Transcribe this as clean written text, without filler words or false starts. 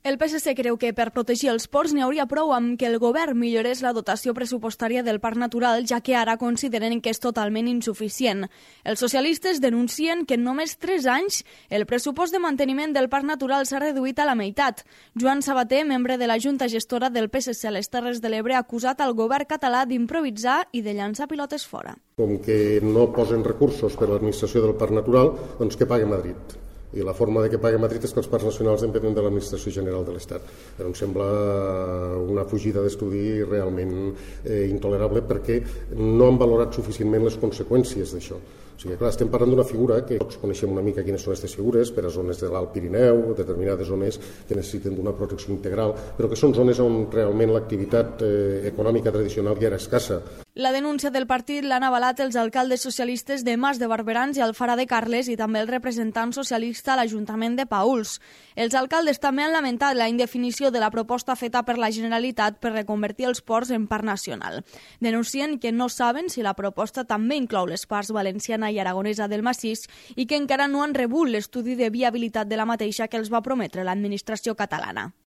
El PSC creu que per protegir els ports n'hi hauria prou amb que el govern millorés la dotació pressupostària del Parc Natural, ja que ara consideren que és totalment insuficient. Els socialistes denuncien que en només 3 anys el pressupost de manteniment del Parc Natural s'ha reduït a la meitat. Joan Sabater, membre de la Junta Gestora del PSC a les Terres de l'Ebre, ha acusat al govern català d'improvisar i de llançar pilotes fora. Com que no posen recursos per a l'administració del Parc Natural, doncs que pagui Madrid. I la forma de que pagui Madrid és que els parcs nacionals depenen de l'Administració General de l'Estat. Però em sembla una fugida d'estudi realment intolerable perquè no han valorat suficientment les conseqüències d'això. O sigui, clar, estem parlant d'una figura que tots coneixem una mica quines són aquestes figures per a zones de l'Alt Pirineu, determinades zones que necessiten d'una protecció integral, però que són zones on realment l'activitat econòmica tradicional ja era escassa. La denúncia del partit l'han avalat els alcaldes socialistes de Mas de Barberans i Alfara de Carles i també el representant socialista a l'Ajuntament de Paüls. Els alcaldes també han lamentat la indefinició de la proposta feta per la Generalitat per reconvertir els ports en parc nacional. Denuncien que no saben si la proposta també inclou les parts valenciana i aragonesa del massís i que encara no han rebut l'estudi de viabilitat de la mateixa que els va prometre l'administració catalana.